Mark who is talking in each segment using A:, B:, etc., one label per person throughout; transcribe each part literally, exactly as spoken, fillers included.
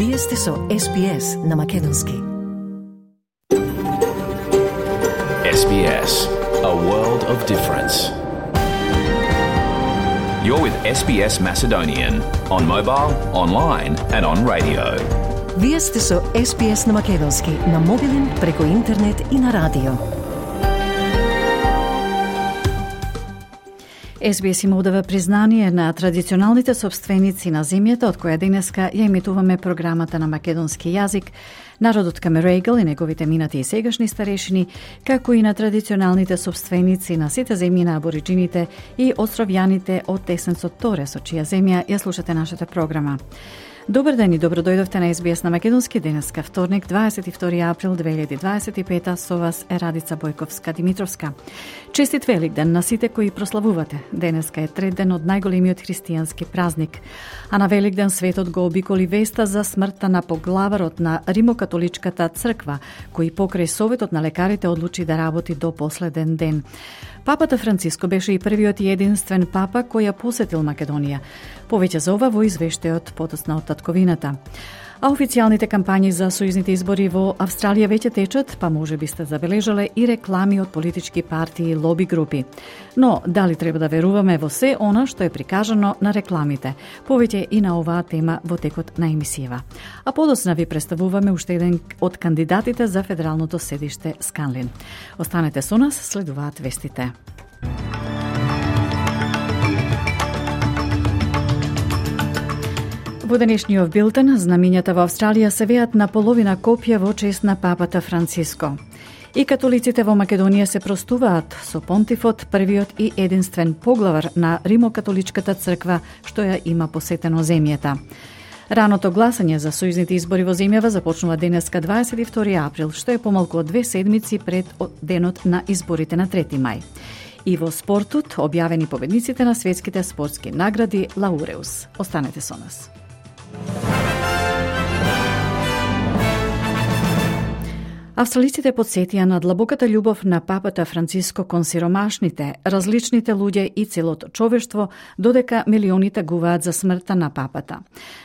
A: Вие сте со Ес Би Ес на Македонски.
B: Ес Би Ес, a world of difference. You're with Ес Би Ес Macedonian on mobile, online and on radio.
A: Вие сте со Ес Би Ес на Македонски на мобилен, преку интернет и на радио. Ес Би Ес им одава признание на традиционалните собственици на земјата, од која денеска ја емитуваме програмата на македонски јазик, народот Камерејгл и неговите минати и сегашни старешини, како и на традиционалните собственици на сите земји на абориджините и островјаните од Тесенцот Торе, со чија земја ја слушате нашата програма. Добар ден и добро дојдовте на Ес Би Ес на Македонски. Денеска вторник, дваесет и втори април две илјади дваесет и пета, со вас е Радица Бојковска-Димитровска. Честит Великден на сите кои прославувате. Денеска е трет ден од најголемиот христијански празник. А на Великден светот го обиколи веста за смртта на поглаварот на Римокатоличката црква, кој покрај советот на лекарите одлучи да работи до последен ден. Папата Франциско беше и првиот и единствен папа кој ја посетил Македонија. Повеќе за ова во извештајот подоцна од татковината. А официјалните кампањи за сојузните избори во Австралија веќе течат, па може би сте забележале и реклами од политички партии и лоби групи. Но, дали треба да веруваме во се она што е прикажано на рекламите? Повеќе и на оваа тема во текот на емисијава. А подоцна ви представуваме уште еден од кандидатите за федералното седиште Сканлин. Останете со нас, следуваат вестите. Во денешниот билтен, знамињата во Австралија се веат на половина копија во чест на папата Франциско. И католиците во Македонија се простуваат со понтифот, првиот и единствен поглавар на Римокатоличката црква што ја има посетено земјата. Раното гласање за сојузните избори во земјава започнува денеска дваесет и втори април, што е помалку од две седмици пред денот на изборите на трети мај. И во спортот објавени победниците на светските спортски награди Лауреус. Останете со нас. Австралиците подсетија на длабоката љубов на папата Франциско кон сиромашните, различните луѓе и целото човештво, додека милиони тагуваат за смртта на папата.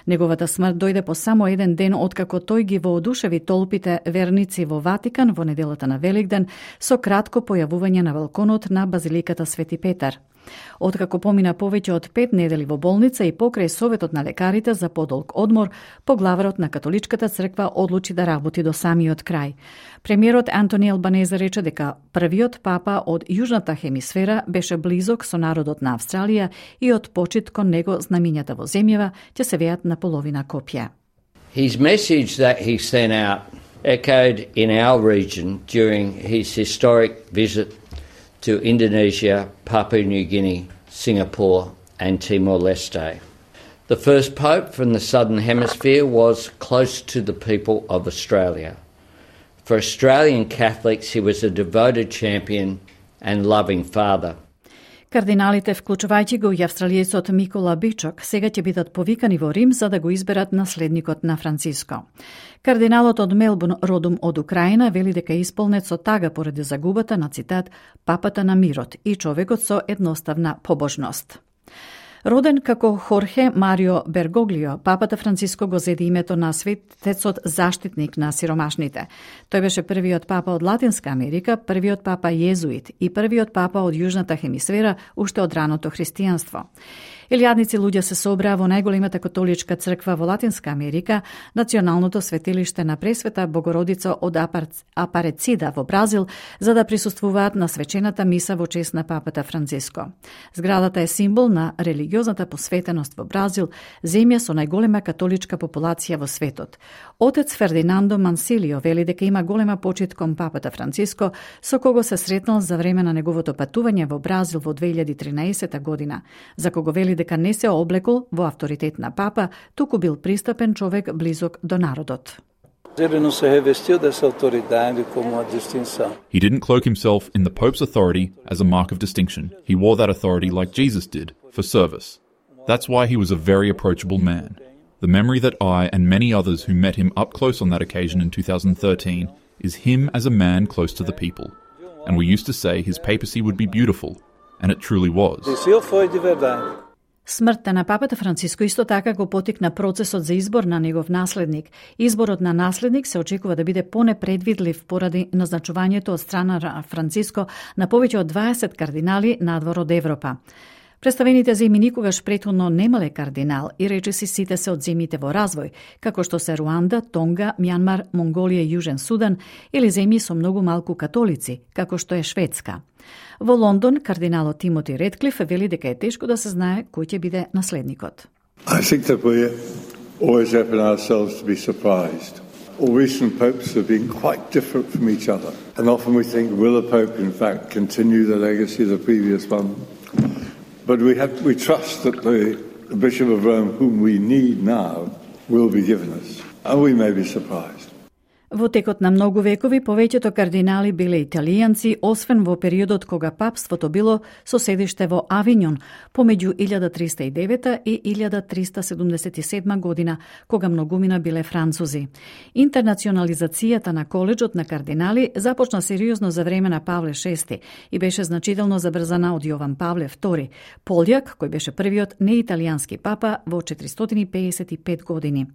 A: Неговата смрт дојде по само еден ден откако тој ги воодушеви толпите верници во Ватикан во неделата на Великден со кратко појавување на балконот на Базиликата Свети Петар. Откако помина повеќе од пет недели во болница и покрај советот на лекарите за подолг одмор, поглаварот на католичката црква одлучи да работи до самиот крај. Премиерот Антони Албанезе рече дека првиот папа од јужната хемисфера беше близок со народот на Австралија и од почит кон него знамињата во земјава ќе се веат на половина копија.
C: His message that he sent out echoed in our region during his historic visit to Indonesia, Papua New Guinea, Singapore and Timor-Leste. The first pope from the Southern Hemisphere was close to the people of Australia. For Australian Catholics, he was a devoted champion and loving father.
A: Кардиналите, вклучувајќи го и австралиецот Микола Бичок, сега ќе бидат повикани во Рим за да го изберат наследникот на Франциско. Кардиналот од Мелбурн, родом од Украина, вели дека е исполнет со тага поради загубата на, цитат, папата на мирот и човекот со едноставна побожност. Роден како Хорхе Марио Бергоглио, папата Франциско го зеде името на светецот заштитник на сиромашните. Тој беше првиот папа од Латинска Америка, првиот папа језуит и првиот папа од Јужната хемисфера уште од раното христијанство. Илјадници луѓе се собраа во најголемата католичка црква во Латинска Америка, националното светилиште на Пресвета Богородица од Апарецида во Бразил, за да присуствуваат на свечената миса во чест на папата Франциско. Зградата е символ на религиозната посветеност во Бразил, земја со најголема католичка популација во светот. Отец Фердинандо Мансилио вели дека има голема почит кон папата Франциско, со кого се сретнал за време на неговото патување во Бразил во две илјади тринаесета година, за кого вели дека не се облекол во авторитет на папа, туку бил пристапен човек близок до народот.
D: He
E: didn't cloak himself in the Pope's authority as a mark of distinction. He wore that authority like Jesus did, for service. That's why he was a very approachable man. The memory that I and many others who met him up close on that occasion in two thousand thirteen is him as a man close to the people. And we used to say his papacy would be beautiful, and it truly was.
A: Смртта на папата Франциско исто така го потикна процесот за избор на негов наследник. Изборот на наследник се очекува да биде понепредвидлив поради назначувањето од страна на Франциско на повеќе од дваесет кардинали надвор од Европа. Представените земји никогаш претходно немале кардинал и речиси сите се од земјите во развој, како што се Руанда, Тонга, Мјанмар, Монголија и Јужен Судан, или земји со многу малку католици, како што е Шведска. Во Лондон, кардиналот Тимоти Редклиф вели дека е тешко да се знае кој ќе биде наследникот.
D: I think that we always open ourselves to be surprised. All recent popes have been quite different from each other. And often we think, will a pope in fact continue the legacy of the previous one? But we have we trust that the, the Bishop of Rome, whom we need now, will be given us. And we may be surprised.
A: Во текот на многу векови, повеќето кардинали биле италијанци, освен во периодот кога папството било со седиште во Авињон, помеѓу илјада триста и девета и илјада триста седумдесет и седма година, кога многумина биле французи. Интернационализацијата на коледжот на кардинали започна сериозно за време на Павле шести и беше значително забрзана од Јован Павле втори, Пољак, кој беше првиот неиталијански папа во четиристотини и педесет и пет години.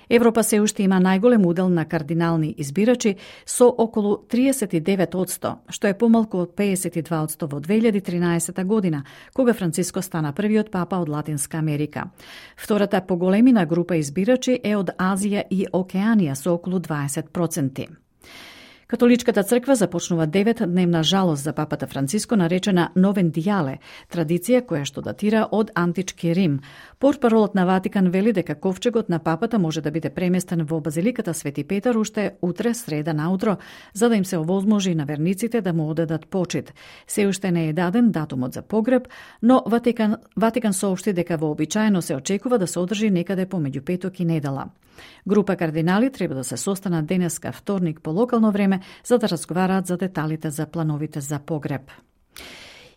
A: Европа се уште има најголем удел на кардинални избирачи со околу триесет и девет одсто, што е помалку од педесет и два одсто во две илјади и тринаесета година, кога Франциско стана првиот папа од Латинска Америка. Втората поголемина група избирачи е од Азија и Океанија со околу дваесет проценти. Католичката црква започнува деветдневна жалост за папата Франциско, наречена Новендијале, традиција која што датира од антички Рим. Портпаролот на Ватикан вели дека ковчегот на папата може да биде преместен во базиликата Свети Петар уште утре, среда наутро, за да им се овозможи на верниците да му одадат почит. Се уште не е даден датумот за погреб, но Ватикан, Ватикан соопшти дека вообичаено се очекува да се одржи некаде помеѓу петок и недела. Група кардинали треба да се состанат денеска вторник по локално време за да разговараат за деталите за плановите за погреб.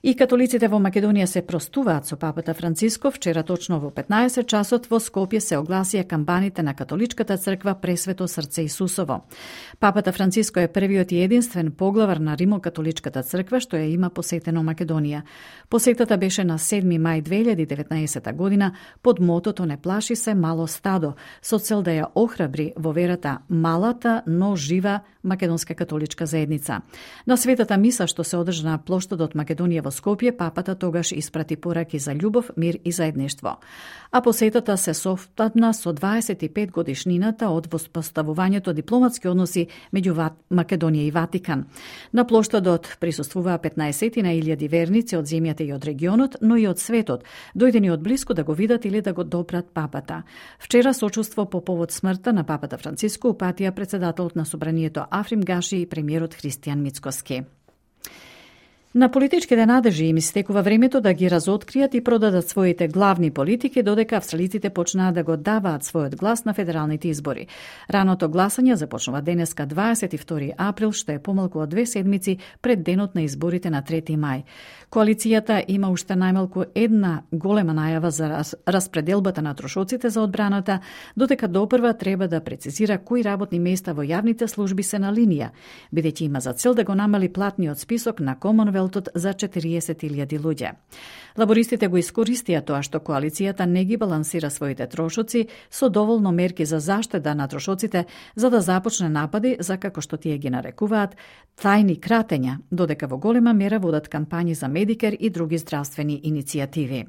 A: И католиците во Македонија се простуваат со папата Франциско. Вчера точно во петнаесет часот во Скопје се огласија камбаните на католичката црква Пресвето срце Исусово. Папата Франциско е првиот и единствен поглавар на Римокатоличката црква што ја има посетено Македонија. Посетата беше на седми мај две илјади и деветнаесета година под мотото "Не плаши се мало стадо", со цел да ја охрабри во верата малата, но жива македонска католичка заедница. На светата миса што се одржа на плоштадот Македонија во Скопје, папата тогаш испрати пораки за љубов, мир и заедништво. А посетата се совпадна со дваесет и пет годишнината од воспоставувањето дипломатски односи меѓу Македонија и Ватикан. На плоштадот присуствуваа петнаесетина илјади верници од земјата и од регионот, но и од светот, дојдени од блиску да го видат или да го допрат папата. Вчера сочувство по повод смртта на папата Франциско упатија председателот на собранието Африм Гаши и премиерот Христијан Мицкоски. На политичките надежи им истекува времето да ги разоткријат и продадат своите главни политики, додека австралиците почнаа да го даваат својот глас на федералните избори. Раното гласање започнува денеска дваесет и втори април, што е помалку од две седмици пред денот на изборите на трети мај. Коалицијата има уште најмалку една голема најава за распределбата на трошоците за одбраната, додека допрва треба да прецизира кои работни места во јавните служби се на линија, бидејќи има за цел да го намали платниот список на Комонвелтот за четириесет илјади луѓе. Лабористите го искористија тоа што коалицијата не ги балансира своите трошоци со доволно мерки за заштеда на трошоците, за да започне напади за, како што тие ги нарекуваат, тајни кратења, додека во голема мера водат кампањи за Медикер и други здравствени иницијативи.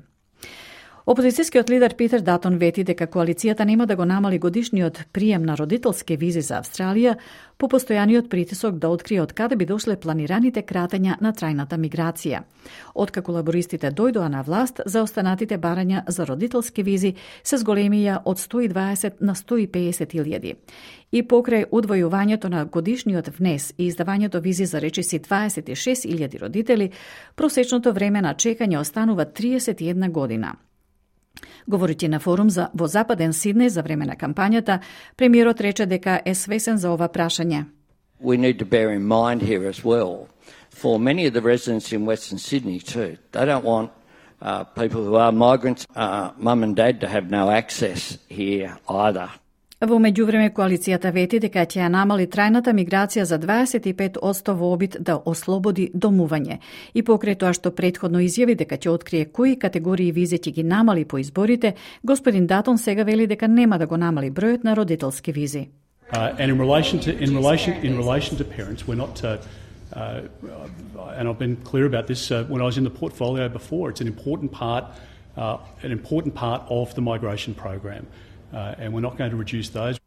A: Опозицијскиот лидер Питер Датон вети дека коалицијата нема да го намали годишниот прием на родителски визи за Австралија по постојаниот притисок да открие од каде би дошле планираните кратења на трајната миграција. Откако лабористите дојдоа на власт, за останатите барања за родителски визи се зголемија од сто и дваесет на сто и педесет илјади. И покрај удвојувањето на годишниот внес и издавањето визи за речиси дваесет и шест илјади родители, просечното време на чекање останува триесет и една година. Говорејќи на форум за во Западен Сиднеј за време на кампањата, премиерот рече дека е свесен за ова прашање.
C: We need to bear in mind here as well, for many of the residents in Western Sydney too, they don't want uh, people who are migrants, uh, mum and dad, to have no access here either.
A: Во меѓувреме, коалицијата вети дека ќе ја намали трајната миграција за дваесет и пет одсто во обид да ослободи домување. И покрај тоа што претходно изјави дека ќе открие кои категории визи ќе ги намали по изборите, господин Датон сега вели дека нема да го намали бројот на родителски визи.
F: Uh, and in relation to in relation in relation to parents, we're not. Uh, uh, and I've been clear about this uh, when I was in the portfolio before. It's an important part, uh, an important part of the migration program, uh, and we're not going to reduce those.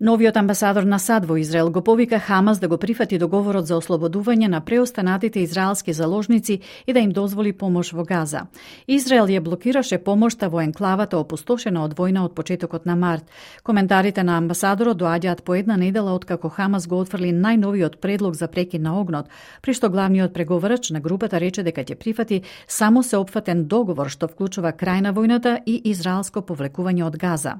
A: Новиот амбасадор на САД во Израел го повика Хамас да го прифати договорот за ослободување на преостанатите израелски заложници и да им дозволи помош во Газа. Израел ја блокираше помошта во енклавата опустошена од војна од почетокот на март. Коментарите на амбасадорот доаѓаат по една недела откако Хамас го отфрли најновиот предлог за прекин на огнот, при што главниот преговарач на групата рече дека ќе прифати само сеопфатен договор што вклучува крај на војната и израелско повлекување од Газа.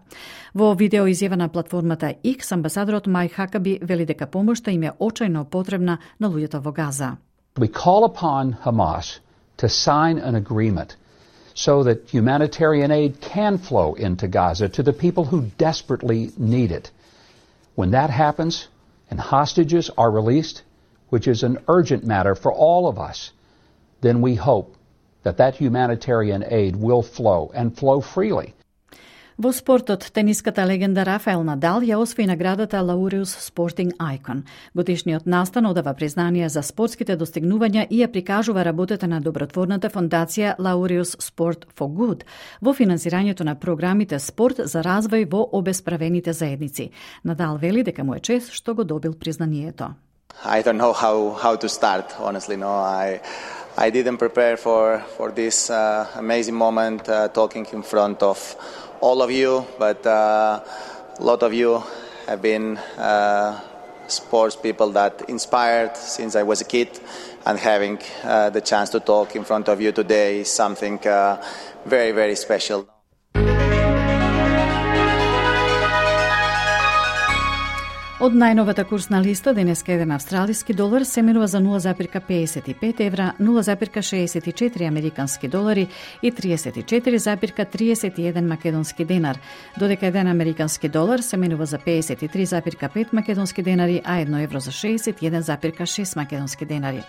A: Во видео изјава на платформата X, амбасадорот Мај Хакаби вели дека помошта им е очајно потребна на луѓето во Газа.
G: We call upon Hamas to sign an agreement so that humanitarian aid can flow into Gaza to the people who desperately need it. When that happens and hostages are released, which is an urgent matter for all of us, then we hope that that humanitarian aid will flow and flow freely.
A: Во спортот, тениската легенда Рафаел Надал ја освои наградата Laureus Sporting Icon. Годишниот настан одава признание за спортските достигнувања и ја прикажува работата на добротворната фондација Laureus Sport for Good во финансирањето на програмите спорт за развој во обесправените заедници. Надал вели дека му е чест што го добил признанието.
H: I don't know how how to start, honestly. No, I I didn't prepare for for this uh, amazing moment uh, talking in front of all of you, but uh, a lot of you have been uh, sports people that inspired since I was a kid, and having uh, the chance to talk in front of you today is something uh, very, very special.
A: Од најновата курсна листа, денеска еден австралиски долар се менува за нула запирка педесет и пет евра, нула запирка шеесет и четири американски долари и триесет и четири запирка триесет и еден македонски денар, додека еден американски долар се менува за педесет и три запирка пет македонски денари, а едно евро за шеесет и еден запирка шест македонски денари.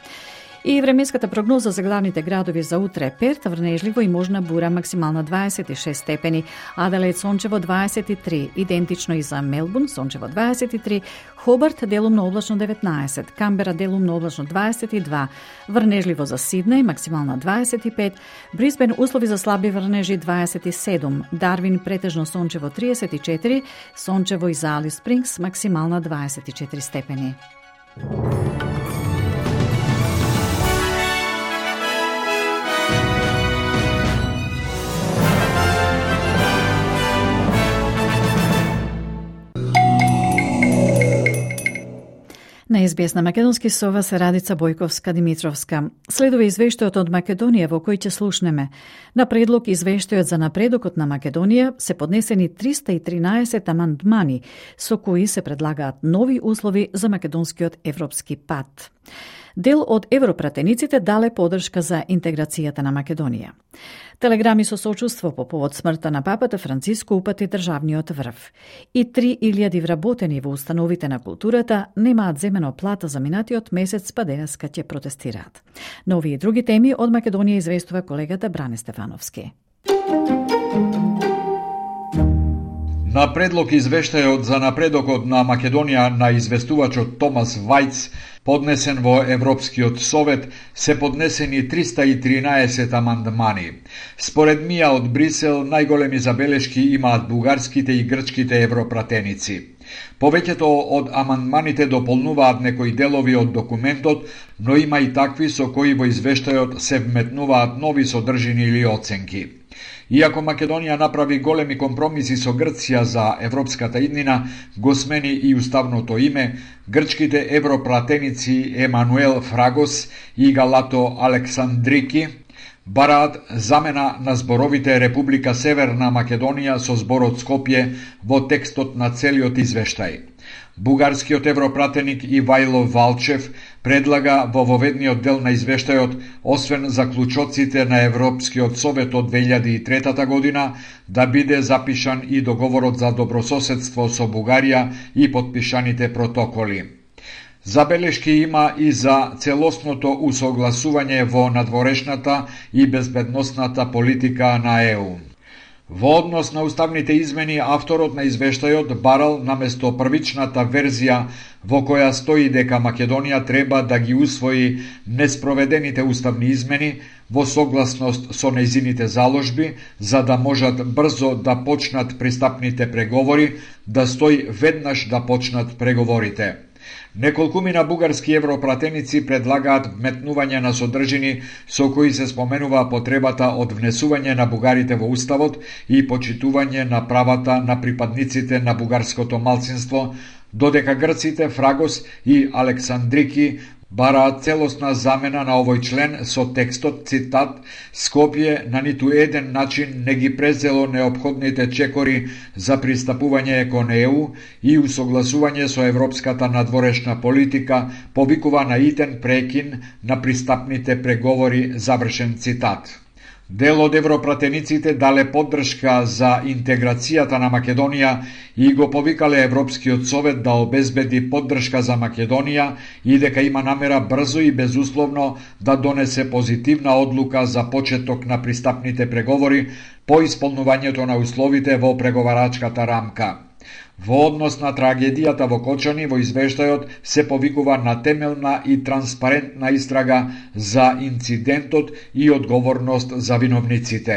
A: И временската прогноза за главните градови за утре: Перт врнежливо и можна бура, максимална дваесет и шест степени, Аделаид сончево дваесет и три, идентично и за Мелбурн сончево дваесет и три, Хобарт делумно облачно деветнаесет, Камбера делумно облачно дваесет и два, врнежливо за Сиднеј, максимална дваесет и пет, Брисбен услови за слаби врнежи дваесет и седум, Дарвин претежно сончево триесет и четири, сончево и за Алис Спрингс, максимална дваесет и четири степени. На Ес Би Ес на македонски со вас е Радица Бојковска-Димитровска. Следува извештајот од Македонија во кој ќе слушнеме. На предлог извештајот за напредокот на Македонија се поднесени триста и тринаесет амандмани, со кои се предлагаат нови услови за македонскиот европски пат. Дел од европратениците дале подршка за интеграцијата на Македонија. Телеграми со сочувство по повод смртта на папата Франциско упати државниот врв. И три илјади вработени во установите на културата немаат земено плата за минатиот месец, па денеска ќе протестираат. На овие и други теми од Македонија известува колегата Бране Стефановски.
I: На предлог извештајот за напредокот на Македонија на известувачот Томас Вајц, поднесен во Европскиот совет, се поднесени триста и тринаесет амандмани. Според Мија од Брисел, најголеми забелешки имаат бугарските и грчките европратеници. Повеќето од амандманите дополнуваат некои делови од документот, но има и такви со кои во извештајот се вметнуваат нови содржини или оценки. Иако Македонија направи големи компромиси со Грција за европската иднина, го смени и уставното име, грчките европратеници Емануел Фрагос и Галато Александрики бараат замена на зборовите Република Северна Македонија со зборот Скопје во текстот на целиот извештај. Бугарскиот европратеник Ивајло Валчев предлага во воведниот дел на извештајот, освен заклучоците на Европскиот совет од две илјади и трета година, да биде запишан и договорот за добрососедство со Бугарија и потпишаните протоколи. Забелешки има и за целосното усогласување во надворешната и безбедносната политика на Е У. Во однос на уставните измени, авторот на извештајот барал наместо првичната верзија во која стои дека Македонија треба да ги усвои неспроведените уставни измени во согласност со нејзините заложби, за да можат брзо да почнат пристапните преговори, да стои веднаш да почнат преговорите. Неколкумина бугарски европратеници предлагаат вметнување на содржини со кои се споменува потребата од внесување на бугарите во уставот и почитување на правата на припадниците на бугарското малцинство, додека грците Фрагос и Александрики бараат целосна замена на овој член со текстот, цитат, Скопје на ниту еден начин не ги презело неопходните чекори за пристапување кон Е У и усогласување со европската надворешна политика, повикува на итен прекин на пристапните преговори, завршен цитат. Дел од европратениците дале поддршка за интеграцијата на Македонија и го повикале Европскиот совет да обезбеди поддршка за Македонија и дека има намера брзо и безусловно да донесе позитивна одлука за почеток на пристапните преговори по исполнувањето на условите во преговарачката рамка. Во однос на трагедијата во Кочани, во извештајот се повикува на темелна и транспарентна истрага за инцидентот и одговорност за виновниците.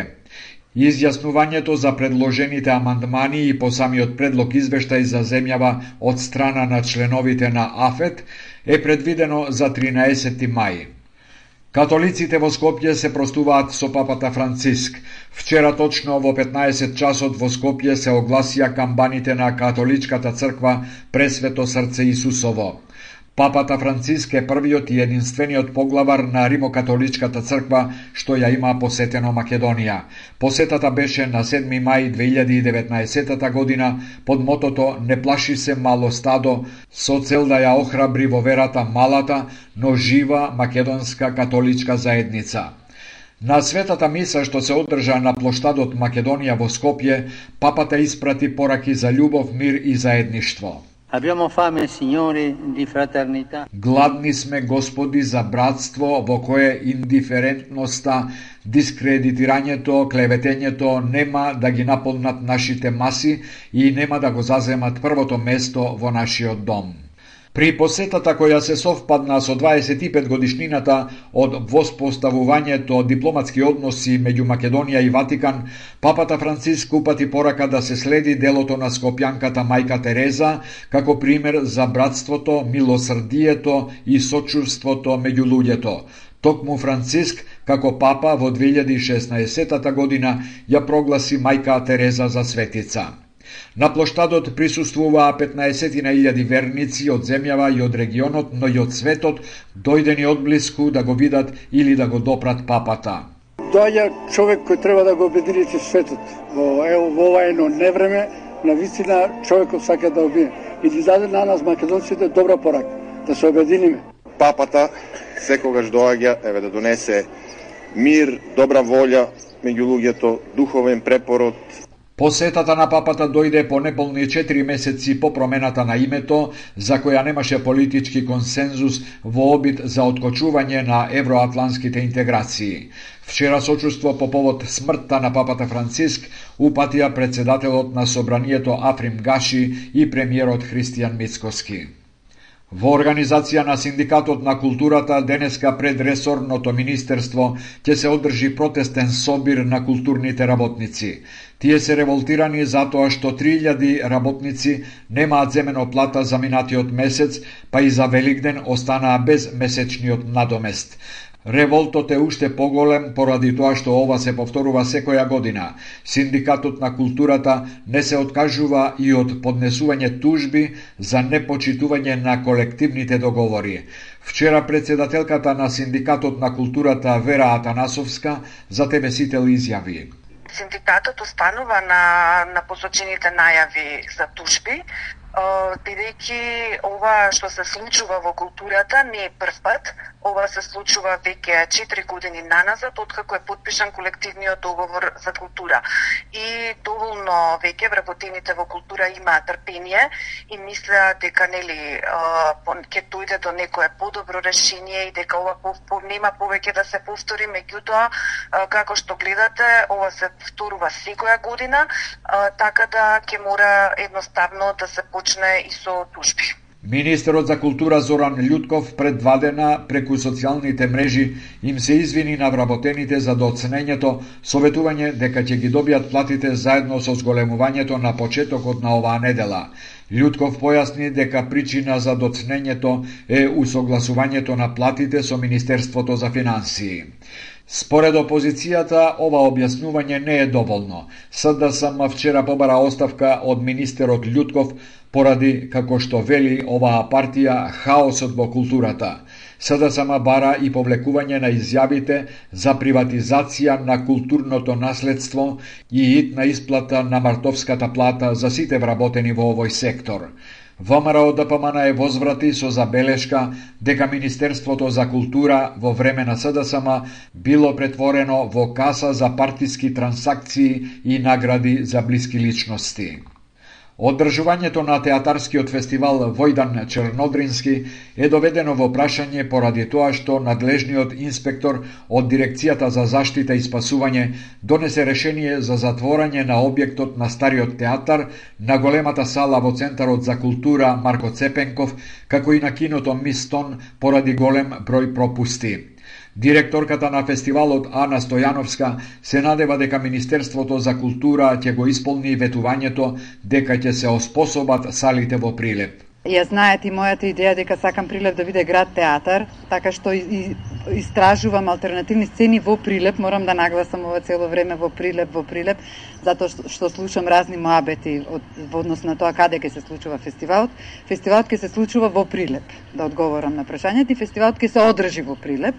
I: Изјаснувањето за предложените амандмани и по самиот предлог извештај за земјава од страна на членовите на АФЕТ е предвидено за тринаесети мај. Католиците во Скопје се простуваат со папата Франциск. Вчера точно во петнаесет часот во Скопје се огласија камбаните на католичката црква Пресвето срце Исусово. Папата Франциск е првиот и единствениот поглавар на Римокатоличката црква што ја има посетено Македонија. Посетата беше на седми мај две илјади и деветнаесета година под мотото "Не плаши се мало стадо", со цел да ја охрабри во верата малата, но жива македонска католичка заедница. На светата миса што се одржа на плоштадот Македонија во Скопје, папата испрати пораки за љубов, мир и заедништво.
J: Abbiamo fame, signori, di fraternità.
I: Гладни сме, Господи, за братство во кое индиферентноста, дискредитирањето, клеветењето нема да ги наполнат нашите маси и нема да го заземат првото место во нашиот дом. При посетата која се совпадна со дваесет и пет годишнината од воспоставувањето дипломатски односи меѓу Македонија и Ватикан, папата Франциск упати порака да се следи делото на скопјанката мајка Тереза како пример за братството, милосрдието и сочувството меѓу луѓето. Токму Франциск, како папа во две илјади и шеснаесета година, ја прогласи мајка Тереза за светица. На плоштадот присуствуваа петнаесет илјади верници од земјава и од регионот, но и од светот, дојдени одблиску да го видат или да го допрат папата.
K: Доаѓа човек кој треба да го обедини светот. Во, ево, во ова едно невреме, на вистина човекот сака да обие. И ги даде на нас македонците добра порака, да се обединиме.
L: Папата секогаш доаѓа еве да донесе мир, добра волја меѓу луѓето, духовен препород.
I: Посетата на папата дојде по неполни четири месеци по промената на името, за која немаше политички консензус во обид за откочување на евроатланските интеграции. Вчера сочувство по повод смртта на папата Франциск упатија председателот на собранието Африм Гаши и премиерот Христијан Мицкоски. Во организација на Синдикатот на културата денеска пред ресорното министерство ќе се одржи протестен собир на културните работници. Тие се револтирани затоа што три илјади работници немаат земено плата за минатиот месец, па и за Великден останаа без месечниот надомест. Револтот е уште поголем поради тоа што ова се повторува секоја година. Синдикатот на културата не се откажува и од поднесување тужби за непочитување на колективните договори. Вчера председателката на Синдикатот на културата Вера Атанасовска за Те Ве Сител изјави:
M: Синдикатот останува на, на посочените најави за тужби, бидејќи ова што се случува во културата не е прв пат. Ова се случува веќе четири години наназад, откако е подпишан колективниот договор за култура. И доволно веќе вработените во култура имаат трпение и мислеа дека нели ќе дојде до некое подобро решение и дека ова нема повеќе да се повтори. Меѓутоа, како што гледате, ова се повторува секоја година, така да ќе мора едноставно да се почне и со тужби.
I: Министерот за култура Зоран Љутков пред два дена преку социјалните мрежи им се извини на вработените за доцнењето, советување дека ќе ги добијат платите заедно со зголемувањето на почетокот на оваа недела. Љутков појасни дека причина за доцнењето е усогласувањето на платите со Министерството за финансии. Според опозицијата, ова објаснување не е доволно. СДСМ вчера побара оставка од министерот Љутков поради, како што вели оваа партија, хаосот во културата. СДСМ бара и повлекување на изјавите за приватизација на културното наследство и итна исплата на мартовската плата за сите вработени во овој сектор. ВМРО Д П М Н е возврати со забелешка дека Министерството за култура во време на СДСМ било претворено во каса за партиски трансакции и награди за блиски личности. Одржувањето на театарскиот фестивал Војдан Чернодрински е доведено во прашање поради тоа што надлежниот инспектор од Дирекцијата за заштита и спасување донесе решение за затворање на објектот на стариот театар, на големата сала во Центарот за култура Марко Цепенков, како и на киното Мистон поради голем број пропусти. Директорката на фестивалот Ана Стојановска се надева дека Министерството за култура ќе го исполни ветувањето дека ќе се оспособат салите во Прилеп.
N: Ја знаете и мојата идеја дека сакам Прилеп да биде град театар, така што и, истражувам алтернативни сцени во Прилеп, морам да нагласам ова цело време во Прилеп, во Прилеп, затоа што, што слушам разни моабети од, во однос на тоа каде ќе се случува фестивалот. Фестивалот ќе се случува во Прилеп, да одговорам на прашањето, и фестивалот ќе се одржи во Прилеп.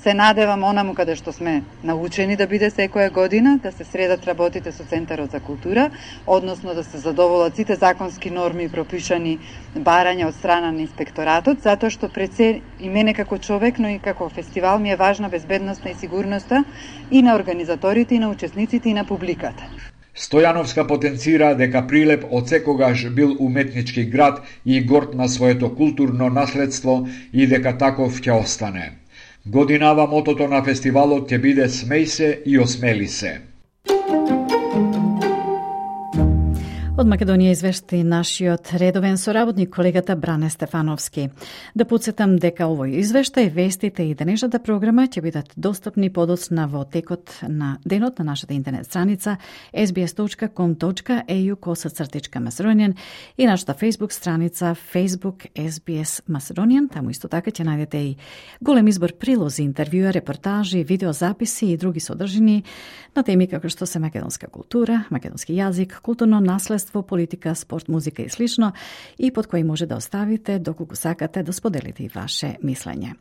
N: Се надевам онаму каде што сме научени да биде секоја година, да се средат работите со Центарот за култура, односно да се задоволат сите законски норми и пропишани барања од страна на инспекторатот, затоа што пред се и мене како човек, но и како фестивал ми е важна безбедноста и сигурноста и на организаторите, и на учесниците, и на публиката.
I: Стојановска потенцира дека Прилеп од секогаш бил уметнички град и горд на своето културно наследство и дека таков ќе остане. Годинава мотото на фестивалот ќе биде "Смеј се и осмели се".
A: Од Македонија извешти нашиот редовен соработник колегата Бране Стефановски. Да подсетам дека овој извештај, вестите и денешната програма ќе бидат достапни подоцна во текот на денот на нашата интернет страница ес би ес точка ком точка е ю косацртичка Macedonian и нашата Facebook страница Facebook ес би ес Macedonian. Таму исто така ќе најдете и голем избор прилози, интервјуа, репортажи, видеозаписи и други содржини на теми како што се македонска култура, македонски јазик, културно наследство, политика, спорт, музика и слично, и под кои може да оставите доколку сакате да споделите и ваше мислење.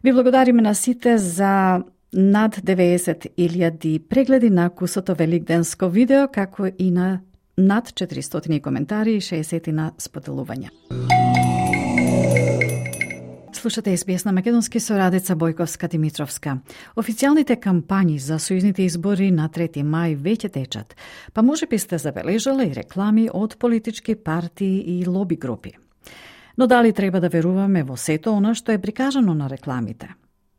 A: Ви благодариме на сите за над деветдесет илјади прегледи на кусото великденско видео, како и на над четиристотини коментари и шеесет на споделувања. Слушате ес би ес на македонски со Радица Бојковска Димитровска. Официјалните кампањи за сојузните избори на трети мај веќе течат, па можеби сте забележале и реклами од политички партии и лоби групи. Но дали треба да веруваме во сето она што е прикажано на рекламите?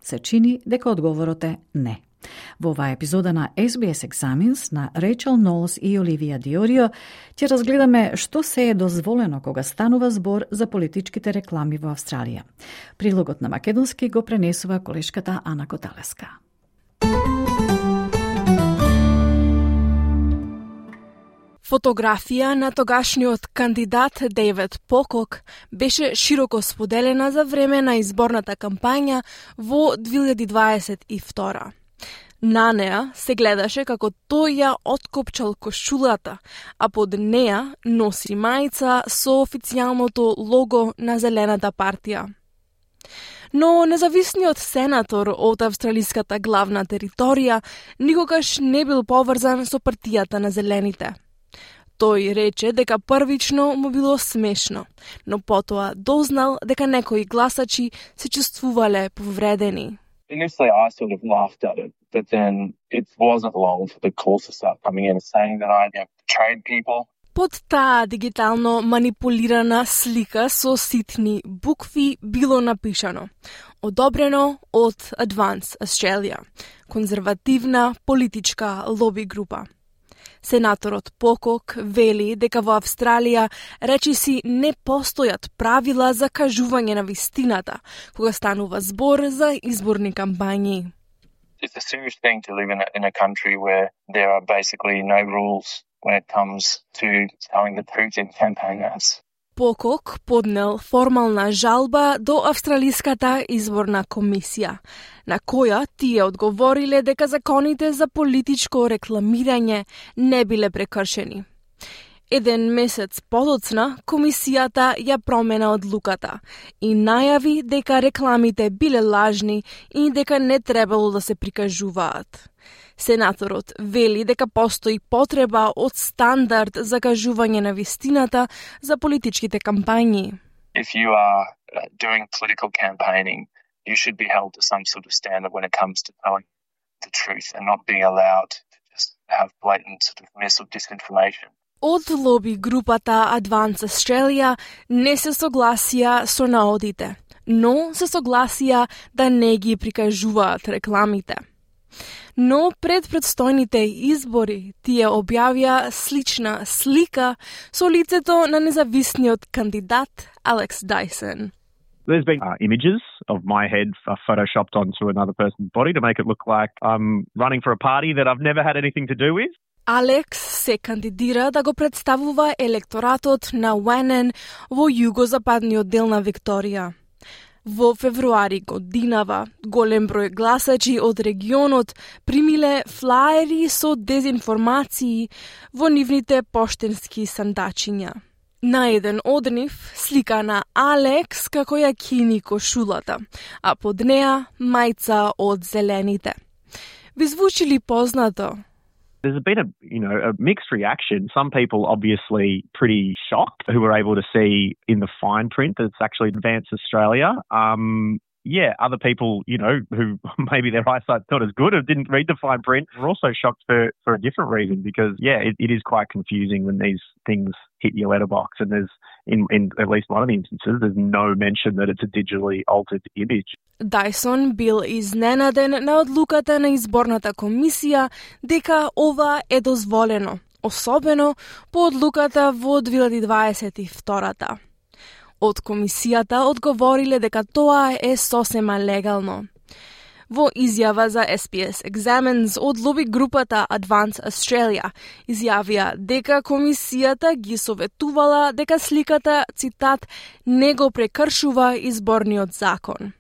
A: Се чини дека одговорот е не. Во оваа епизода на ес би ес Examines на Рейчел Нолс и Оливија Диорио ќе разгледаме што се е дозволено кога станува збор за политичките реклами во Австралија. Прилогот на македонски го пренесува колешката Ана Коталеска.
O: Фотографија на тогашниот кандидат Дейвид Покок беше широко споделена за време на изборната кампања во две илјади дваесет и втора. На неа се гледаше како тој ја откопчал кошулата, а под неа носи мајца со официјалното лого на Зелената партија. Но независниот сенатор од австралиската главна територија никогаш не бил поврзан со партијата на Зелените. Тој рече дека првично му било смешно, но потоа дознал дека некои гласачи се чувствувале повредени.
P: Initially, I sort of laughed at it, but then it wasn't long for the calls to start coming in and saying that I had betrayed people.
O: Под таа дигитално манипулирана слика со ситни букви било напишано: одобрено од Advance Australia, конзервативна политичка лоби група. Сенаторот Покок вели дека во Австралија речиси не постојат правила за кажување на вистината кога станува збор за изборни кампањи.
P: It's a serious thing to live in a, in a country where there are basically no rules when it comes to telling the truth in campaign ads.
O: Покок поднел формална жалба до Австралиската изборна комисија, на која тие одговориле дека законите за политичко рекламирање не биле прекршени. Еден месец подоцна, комисијата ја промена одлуката и најави дека рекламите биле лажни и дека не требало да се прикажуваат. Сенаторот вели дека постои потреба од стандард за кажување на вистината за политичките кампањи.
P: If you are doing political campaigning, you should be held to some sort of standard when it comes to telling the truth and not being allowed to just have blatant sort of miss or disinformation.
O: Од лоби групата Advance Australia не се согласија со наодите, но се согласија да не ги прикажуваат рекламите. Но пред предстојните избори тие објавија слична слика со лицето на независниот кандидат Алекс Дайсон.
Q: There's been uh, images of my head uh, photoshopped onto another person's body to make it look like I'm running for a party that I've never had anything to do with.
O: Алекс се кандидира да го представува електоратот на Wannon во југозападниот дел на Викторија. Во февруари годинава, голем број гласачи од регионот примиле флаери со дезинформации во нивните поштенски сандачиња. На еден од нив слика на Алекс како ја кини кошулата, а под неа мајца од Зелените. Ви звучи ли познато?
Q: There's been a, you know, a mixed reaction. Some people obviously pretty shocked who were able to see in the fine print that it's actually Advance Australia. Um, yeah, other people, you know, who maybe their eyesight's not as good or didn't read the fine print were also shocked for, for a different reason because, yeah, it, it is quite confusing when these things hit your letterbox and there's, in, in at least one of the instances, there's no mention that it's a digitally altered image.
O: Дайсон бил изненаден на одлуката на изборната комисија дека ова е дозволено, особено по одлуката во две илјади дваесет и втора. Од комисијата одговориле дека тоа е сосема легално. Во изјава за Ес Би Ес Examines од лоби групата Advance Australia изјавија дека комисијата ги советувала дека сликата, цитат, не го прекршува изборниот закон.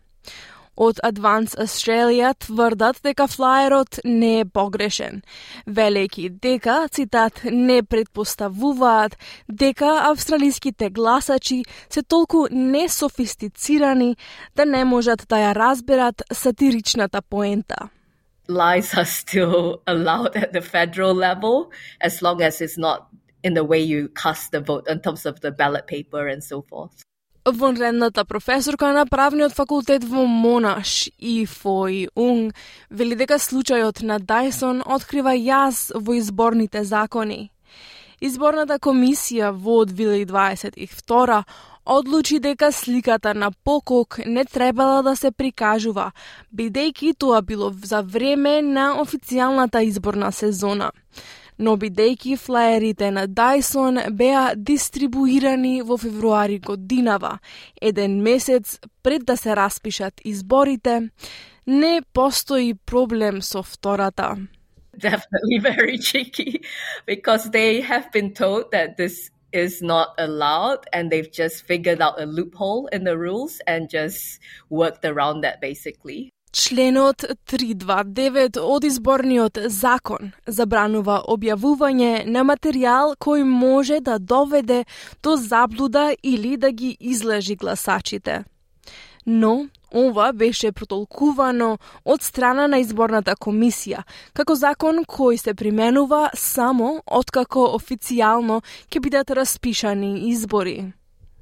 O: Од Advance Australia тврдат дека флаерот не е погрешен, велејќи дека, цитат, не предпоставуваат дека австралиските гласачи се толку несофистицирани да не можат да ја разберат сатиричната поента.
R: Lies are still allowed at the federal level as long as it's not in the way you cast the vote in terms of the ballot paper and so forth.
O: Вонредната професорка на правниот факултет во Монаш и Фој Унг вели дека случајот на Дайсон открива јаз во изборните закони. Изборната комисија во две илјади дваесет и втора одлучи дека сликата на Покок не требала да се прикажува, бидејќи тоа било за време на официјалната изборна сезона. Но бидејќи флаерите на Дайсон беа дистрибуирани во февруари годинава, еден месец пред да се распишат изборите, не постои проблем со втората.
R: Definitely very tricky because they have been told that this is not allowed and they've just figured out a loophole in the rules and just worked around that basically.
O: Членот триста дваесет и девет од изборниот закон забранува објавување на материјал кој може да доведе до заблуда или да ги излажи гласачите. Но ова беше протолкувано од страна на изборната комисија како закон кој се применува само откако официјално ќе бидат распишани избори.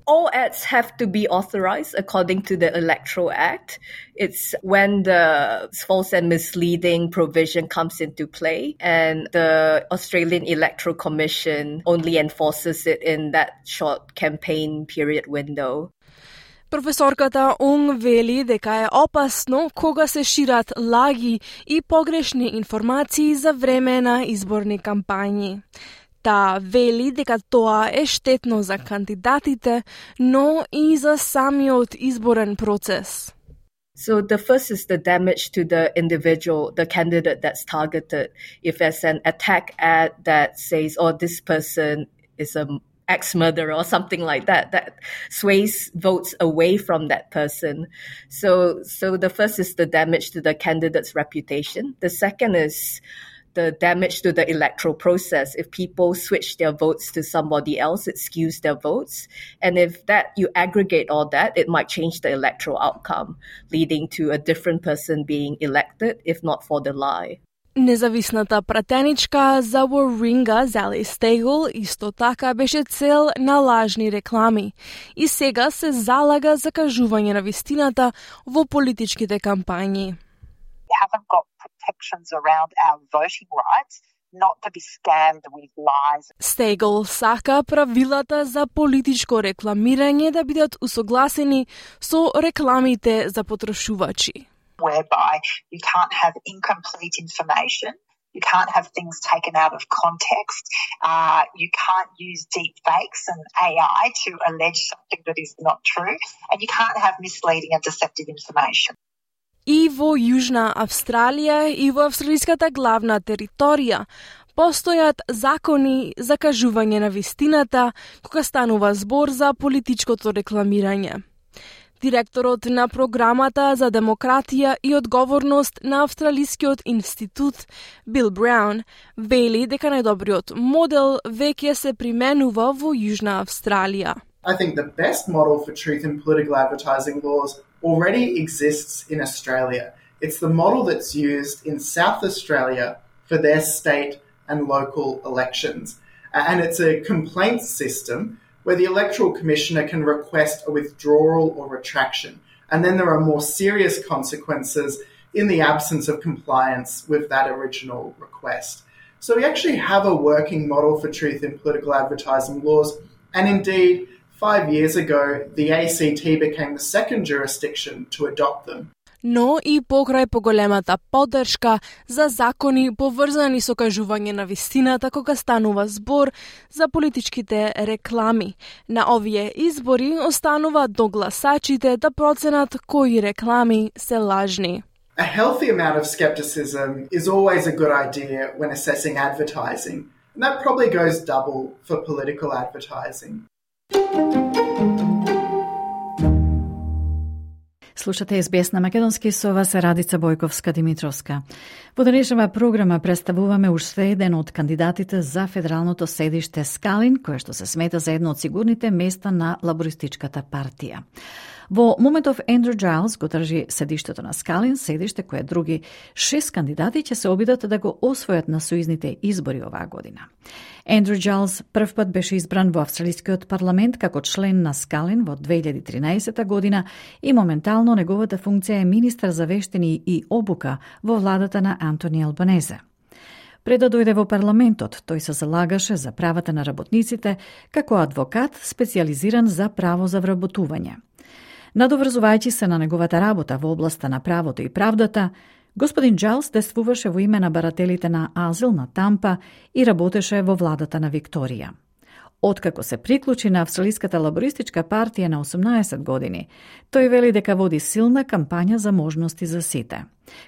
R: All ads have to be authorized according to the Electoral Act. It's when the false and misleading provision comes into play, and the Australian Electoral Commission only enforces it in that short campaign period window.
O: Професорката Онг вели дека е опасно кога се шират лаги и погрешни информации за време на изборни кампањи. Та вели дека тоа е штетно за кандидатите, но и за самиот изборен процес.
R: So the first is the damage to the individual, the candidate that's targeted. If there's an attack ad that says, oh, this person is a ex-murderer or something like that, that sways votes away from that person. So, so the first is the damage to the candidate's reputation. The second is the damage to the electoral process. If people switch their votes to somebody else, it skews their votes. And if that you aggregate all that, it might change the electoral outcome, leading to a different person being elected, if not for the lie.
O: Независната пратеничка за Warringah, Zali Steggall, исто така беше цел на лажни реклами и сега се залага за кажување на вистината во политичките кампањи.
S: We haven't got protections around our voting rights not to be scammed with lies.
O: Steggall сака правилата за политичко рекламирање да бидат усогласени со рекламите за потрошувачи.
S: Whereby you can't have incomplete information, you can't have things taken out of context, uh, you can't use deep fakes and A I to allege something that is not true, and you can't have misleading and deceptive information.
O: И во Јужна Австралија и во австралиската главна територија постојат закони за кажување на вистината кога станува збор за политичкото рекламирање. Директорот на програмата за демократија и одговорност на Австралискиот институт Бил Браун вели дека најдобриот модел веќе се применува во Јужна Австралија.
T: I think the best model for truth in political advertising laws already exists in Australia. It's the model that's used in South Australia for their state and local elections. And it's a complaints system where the Electoral Commissioner can request a withdrawal or retraction. And then there are more serious consequences in the absence of compliance with that original request. So we actually have a working model for truth in political advertising laws. And indeed, five years ago, the A C T became the second jurisdiction to adopt them.
O: Но и покрај поголемата поддршка за закони поврзани со кажување на вистината кога станува збор за политичките реклами. На овие избори останува до гласачите да проценат кои реклами се лажни.
T: A healthy amount of skepticism is always a good idea when assessing advertising. And that probably goes double for political advertising.
A: Слушате Ес Би Ес на македонски, со вас е Радица Бојковска-Димитровска. Во денешната програма представуваме уште еден од кандидатите за федералното седиште Скалин, кое што се смета за едно од сигурните места на лабористичката партија. Во моментов Ендрю Джайлс го држи седиштето на Скалин, седиште кое други шест кандидати ќе се обидат да го освојат на сојузните избори оваа година. Ендрю Джайлс прв пат беше избран во австралискиот парламент како член на Скалин во две илјади и тринаесета година и моментално неговата функција е министар за вештини и обука во владата на Антони Албанезе. Пред да дојде во парламентот, тој се залагаше за правата на работниците како адвокат специјализиран за право за вработување. Надоврзувајќи се на неговата работа во областа на правото и правдата, господин Джайлс действуваше во име на барателите на азил на Тампа и работеше во владата на Викторија. Откако се приклучи на Австралиската лабористичка партија на осумнаесет години, тој вели дека води силна кампања за можности за сите.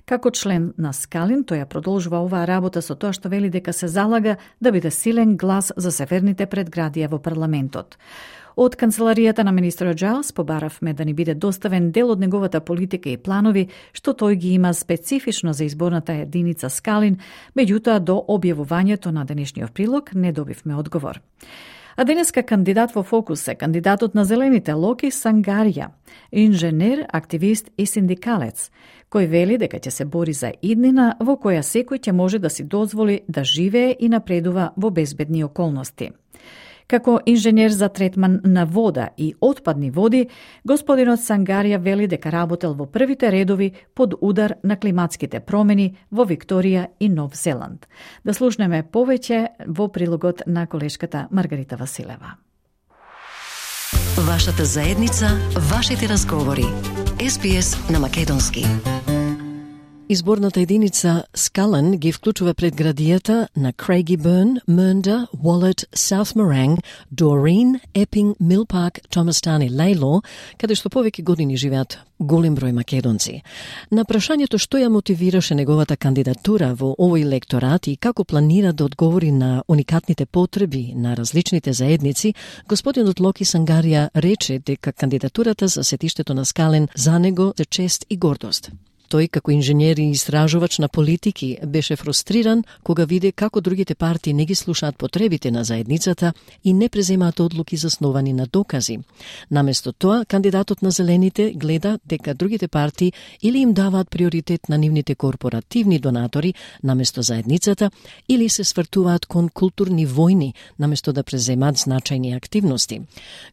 A: Како член на Скалин, тој ја продолжува оваа работа со тоа што вели дека се залага да биде силен глас за северните предградија во парламентот. Од канцеларијата на министерот Джайлс побаравме да ни биде доставен дел од неговата политика и планови што тој ги има специфично за изборната единица Скалин, меѓутоа до објавувањето на денешниот прилог не добивме одговор. А денеска кандидат во фокус е кандидатот на Зелените Локи Сангарија, инженер, активист и синдикалец, кој вели дека ќе се бори за иднина во која секој ќе може да си дозволи да живее и напредува во безбедни околности. Како инженер за третман на вода и отпадни води, господинот Сангарија вели дека работел во првите редови под удар на климатските промени во Викторија и Нов Зеланд. Да слушнеме повеќе во прилогот на колешката Маргарита Василева.
U: Вашата заедница, вашите разговори. Ес Би Ес на македонски.
V: Изборната единица Скален ги вклучува предградијата на Крейгибърн, Мърнда, Уолет, Саут Моренг, Дорин, Епинг, Милпарк, Томастан и Лейло, каде што повеќе години живеат голем број македонци. На прашањето што ја мотивираше неговата кандидатура во овој лекторат и како планира да одговори на уникатните потреби на различните заедници, господинот Локи Сангарија рече дека кандидатурата за сетиштето на Скален за него е чест и гордост. Тој, како инженер и истражувач на политики, беше фрустриран кога виде како другите партии не ги слушаат потребите на заедницата и не преземаат одлуки засновани на докази. Наместо тоа, кандидатот на Зелените гледа дека другите партии или им даваат приоритет на нивните корпоративни донатори наместо заедницата, или се свртуваат кон културни војни наместо да преземаат значајни активности.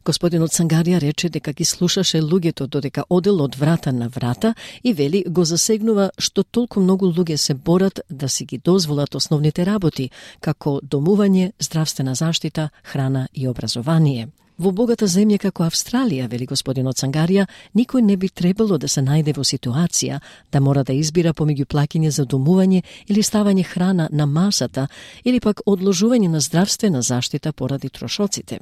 V: Господинот Сангарија рече дека ги слушаше луѓето додека одел од врата на врата и вели го засегнува што толку многу луѓе се борат да си ги дозволат основните работи, како домување, здравствена заштита, храна и образование. Во богата земја како Австралија, вели господинот Сангарија, никој не би требало да се најде во ситуација да мора да избира помеѓу плаќање за домување или ставање храна на масата, или пак одложување на здравствена заштита поради трошоците.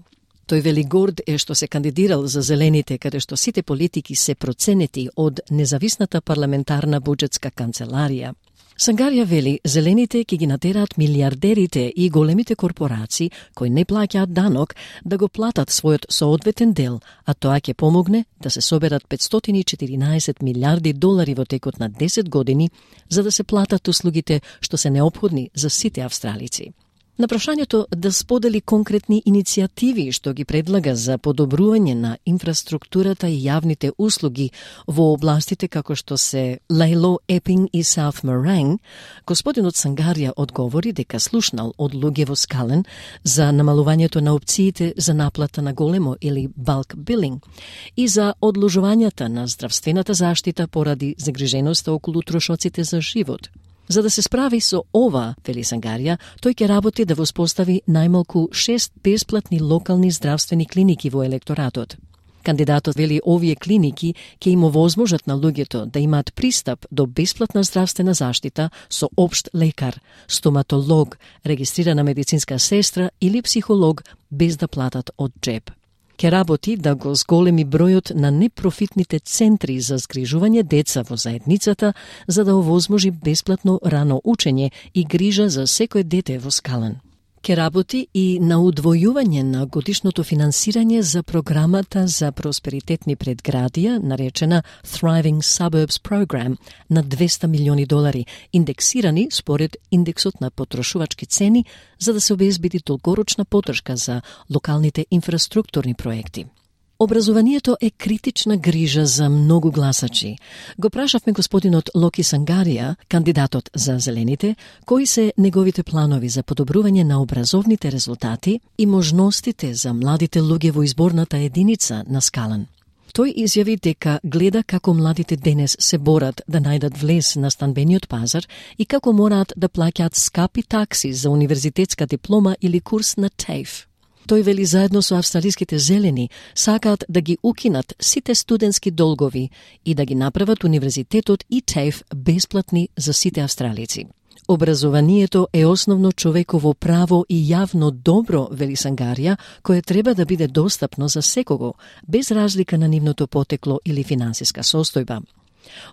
V: Тој вели горд е што се кандидирал за Зелените, каде што сите политики се проценети од независната парламентарна буџетска канцеларија. Сангарија вели, Зелените ќе ги натераат милиардерите и големите корпорации кои не плаќаат данок да го платат својот соодветен дел, а тоа ќе помогне да се соберат петстотини и четиринаесет милиарди долари во текот на десет години за да се платат услугите што се неопходни за сите австралици. На прашањето да сподели конкретни иницијативи што ги предлага за подобрување на инфраструктурата и јавните услуги во областите како што се Лейло, Епинг и Саут Моренг, господинот Сангарија одговори дека слушнал од луѓе во Скален за намалувањето на опциите за наплата на големо или bulk billing и за одложувањата на здравствената заштита поради загриженоста околу трошоците за живот. За да се справи со ова, вели Сангарија, тој ќе работи да воспостави најмалку шест бесплатни локални здравствени клиники во електоратот. Кандидатот вели овие клиники ќе им овозможат на луѓето да имаат пристап до бесплатна здравствена заштита со општ лекар, стоматолог, регистрирана медицинска сестра или психолог без да платат од джеб. Ке работи да го зголеми бројот на непрофитните центри за згрижување деца во заедницата за да овозможи бесплатно рано учење и грижа за секој дете во Скален. Ке работи и на удвојување на годишното финансирање за програмата за просперитетни предградија, наречена Thriving Suburbs Program, на двеста милиони долари, индексирани според индексот на потрошувачки цени, за да се обезбеди долгорочна поддршка за локалните инфраструктурни проекти. Образованието е критична грижа за многу гласачи. Го прашавме господинот Локи Сангарија, кандидатот за Зелените, кои се неговите планови за подобрување на образовните резултати и можностите за младите луѓе во изборната единица на Скален. Тој изјави дека гледа како младите денес се борат да најдат влез на станбениот пазар и како мораат да плаќаат скапи такси за универзитетска диплома или курс на TAFE. Тој вели заедно со австралиските зелени сакаат да ги укинат сите студентски долгови и да ги направат универзитетот и TAFE бесплатни за сите австралици. Образованието е основно човеково право и јавно добро, вели Сангарија, кое треба да биде достапно за секого, без разлика на нивното потекло или финансиска состојба.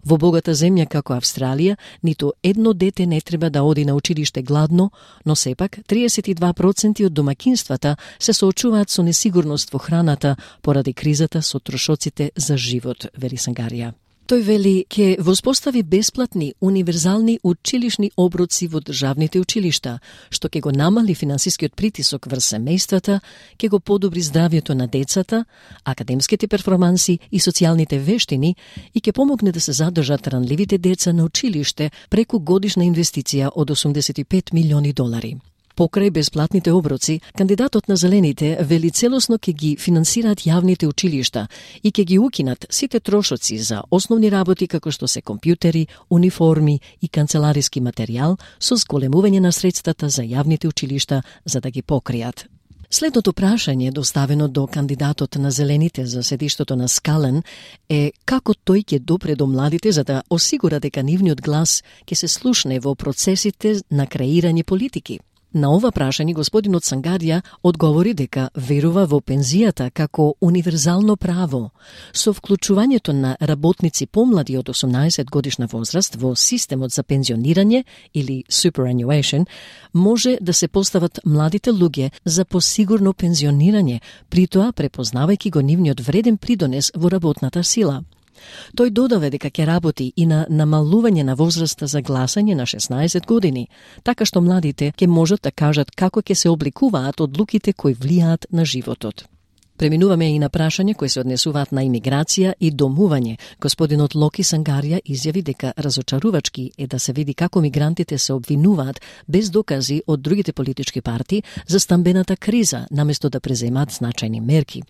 V: Во богата земја како Австралија, ниту едно дете не треба да оди на училиште гладно, но сепак триесет и два проценти од домакинствата се соочуваат со несигурност во храната поради кризата со трошоците за живот, вели Сангарија. Тој вели ке воспостави бесплатни, универзални училишни оброци во државните училишта, што ќе го намали финансискиот притисок врз семејствата, ќе го подобри здравјето на децата, академските перформанси и социјалните вештини и ќе помогне да се задржат ранливите деца на училиште преку годишна инвестиција од осумдесет и пет милиони долари. Покрај бесплатните оброци, кандидатот на Зелените вели целосно ќе ги финансираат јавните училишта и ќе ги укинат сите трошоци за основни работи како што се компјутери, униформи и канцелариски материјал со зголемување на средствата за јавните училишта за да ги покријат. Следното прашање, доставено до кандидатот на Зелените за седиштото на Скален, е како тој ќе допре до младите за да осигура дека нивниот глас ќе се слушне во процесите на креирање политики. На ова прашање господинот Сангарија одговори дека верува во пензијата како универзално право. Со вклучувањето на работници помлади од осумнаесет годишна возраст во системот за пензионирање или superannuation, може да се постават младите луѓе за посигурно пензионирање, притоа препознавајќи го нивниот вреден придонес во работната сила. Тој додаве дека ќе работи и на намалување на возраста за гласање на шеснаесет години, така што младите ќе можат да кажат како ќе се обликуваат одлуките кои влијаат на животот. Преминуваме и на прашање кои се однесуваат на имиграција и домување. Господинот Локи Сангарија изјави дека разочарувачки е да се види како мигрантите се обвинуваат без докази од другите политички партии за стамбената криза, наместо да преземаат значајни мерки.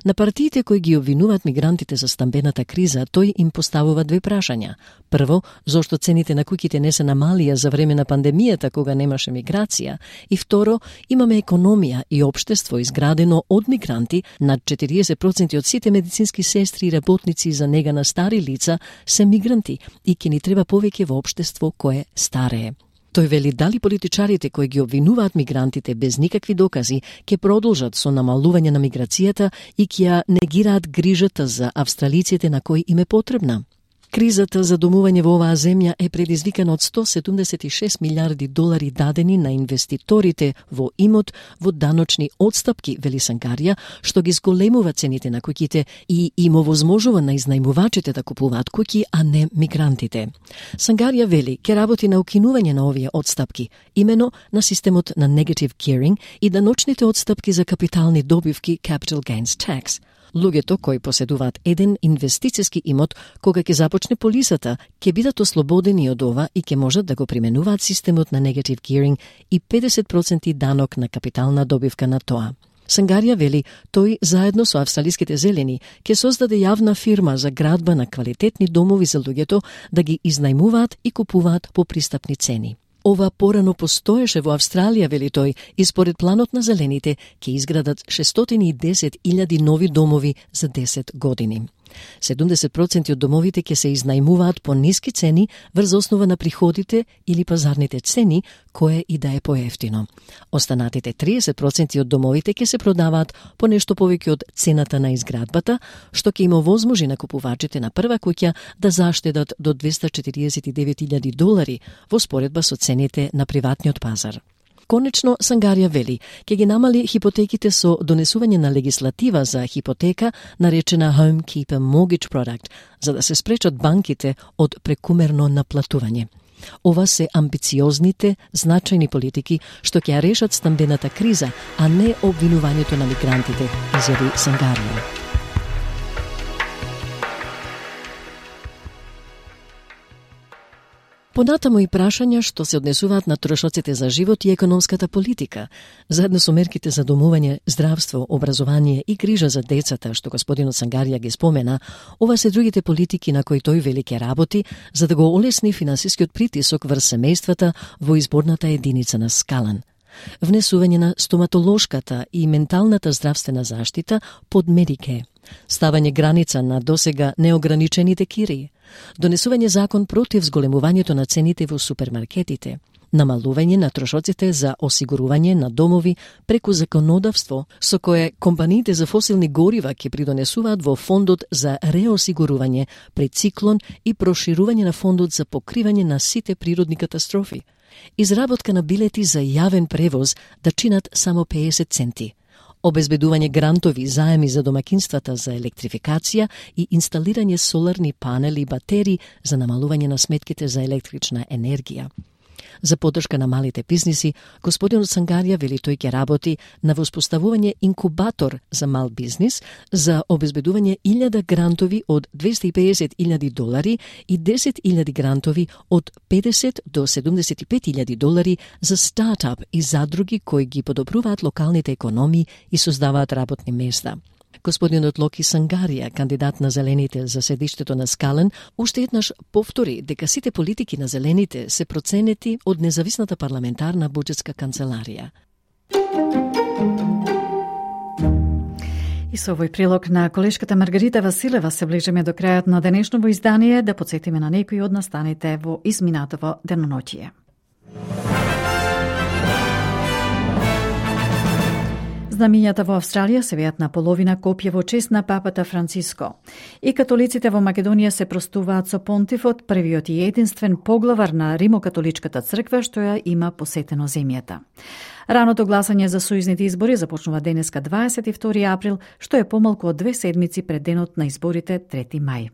V: На партиите кои ги обвинуваат мигрантите за стамбената криза, тој им поставува две прашања. Прво, зошто цените на куќите не се намалија за време на пандемијата кога немаше миграција? И второ, имаме економија и општество изградено од мигранти. Над четириесет проценти од сите медицински сестри и работници за нега на стари лица се мигранти и ќе ни треба повеќе во општество кое старее. Тој вели дали политичарите кои ги обвинуваат мигрантите без никакви докази ќе продолжат со намалување на миграцијата и ќе ја негираат грижата за австралиците на кои им е потребна. Кризата за домување во оваа земја е предизвикана од сто седумдесет и шест милиарди долари дадени на инвеститорите во имот во даночни отстапки, вели Сангарија, што ги зголемува цените на куќите и им овозможува на изнајмувачите да купуваат куќи, а не мигрантите. Сангарија вели ќе работи на укинување на овие отстапки, имено на системот на negative gearing и даночните отстапки за капитални добивки capital gains tax. Луѓето кои поседуваат еден инвестициски имот кога ќе започне полисата, ќе бидат ослободени од ова и ќе можат да го применуваат системот на negative gearing и педесет проценти данок на капитална добивка на тоа. Сангарија вели, тој заедно со австралиските зелени ќе создаде јавна фирма за градба на квалитетни домови за луѓето да ги изнајмуваат и купуваат по пристапни цени. Ова порано постоеше во Австралија, вели тој, и според планот на зелените ќе изградат шестстотини и десет илјади нови домови за десет години. седумдесет проценти од домовите ќе се изнајмуваат по ниски цени врз основа на приходите или пазарните цени, кое и да е поевтино. Останатите триесет проценти од домовите ќе се продаваат по нешто повеќе од цената на изградбата, што ќе им овозможи на купувачите на прва куќа да заштедат до двесте четириесет и девет илјади долари во споредба со цените на приватниот пазар. Конечно, Сангарија вели, ќе ги намали хипотеките со донесување на легислатива за хипотека, наречена Home Keeper Mortgage Product, за да се спречат банките од прекумерно наплатување. Ова се амбициозните, значајни политики што ќе ја решат стамбената криза, а не обвинувањето на мигрантите, изјави Сангарија. Понатаму и прашања што се однесуваат на трошоците за живот и економската политика, заедно со мерките за домување, здравство, образование и грижа за децата, што господинот Сангарија ги спомена, ова се другите политики на кои тој вели ќе работи, за да го олесни финансискиот притисок врз семејствата во изборната единица на Скален. Внесување на стоматолошката и менталната здравствена заштита под Медике, ставање граница на досега неограничените кирии, донесување закон против зголемувањето на цените во супермаркетите, намалување на трошоците за осигурување на домови преку законодавство со кое компаниите за фосилни горива ќе придонесуваат во фондот за реосигурување пред циклон и проширување на фондот за покривање на сите природни катастрофи. Изработка на билети за јавен превоз да чинат само педесет центи. Обезбедување грантови заеми за домакинствата за електрификација и инсталирање соларни панели и батерии за намалување на сметките за електрична енергија. За поддршка на малите бизниси, господинот Сангарија вели тој ќе работи на воспоставување инкубатор за мал бизнис за обезбедување илјада грантови од двесте и педесет илјади долари и десет илјади грантови од педесет до седумдесет и пет илјади долари за стартап и задруги кои ги подобруваат локалните економии и создаваат работни места. Господинот Локи Сангарија, кандидат на Зелените за седиштето на Скален, уште еднаш повтори дека сите политики на Зелените се проценети од независната парламентарна буџетска канцеларија.
A: И со овој прилог на колешката Маргарита Василева се ближиме до крајот на денешново издание, да подсетиме на некои од настаните во изминатово деноноќие. Знамињата во Австралија се веат на половина копје во чест на папата Франциско. И католиците во Македонија се простуваат со понтифот, првиот и единствен поглавар на Римокатоличката црква што ја има посетено земјата. Раното гласање за сојузните избори започнува денеска дваесет и втори април, што е помалку од две седмици пред денот на изборите трети мај.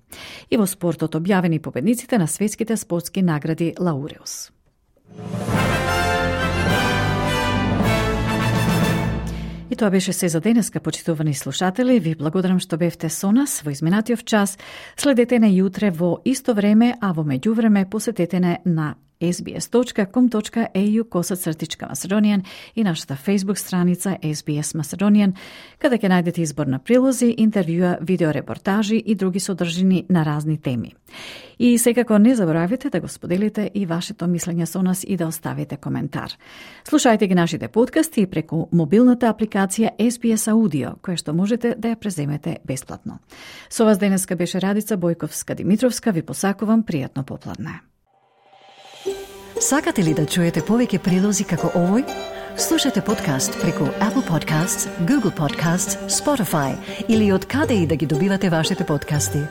A: И во спортот објавени победниците на светските спортски награди Лауреус. И тоа беше се за денеска, почитувани слушатели. Ви благодарам што бевте со нас во изминатиот час. Следете не јутре во исто време, а во меѓувреме посетете не на ес би ес точка ком точка е ю косацртичка Macedonian и нашата Facebook страница ес би ес Macedonian, каде ќе најдете избор на прилози, интервјуа, видеорепортажи и други содржини на разни теми. И секако не заборавите да го споделите и вашето мислење со нас и да оставите коментар. Слушајте ги нашите подкасти преку мобилната апликација ес би ес Audio, која што можете да ја преземете бесплатно. Со вас денеска беше Радица Бојковска-Димитровска. Ви посакувам пријатно попладне.
U: Сакате ли да чуете повеќе прилози како овој? Слушате подкаст преку Apple Podcasts, Google Podcasts, Spotify или од каде и да ги добивате вашите подкасти.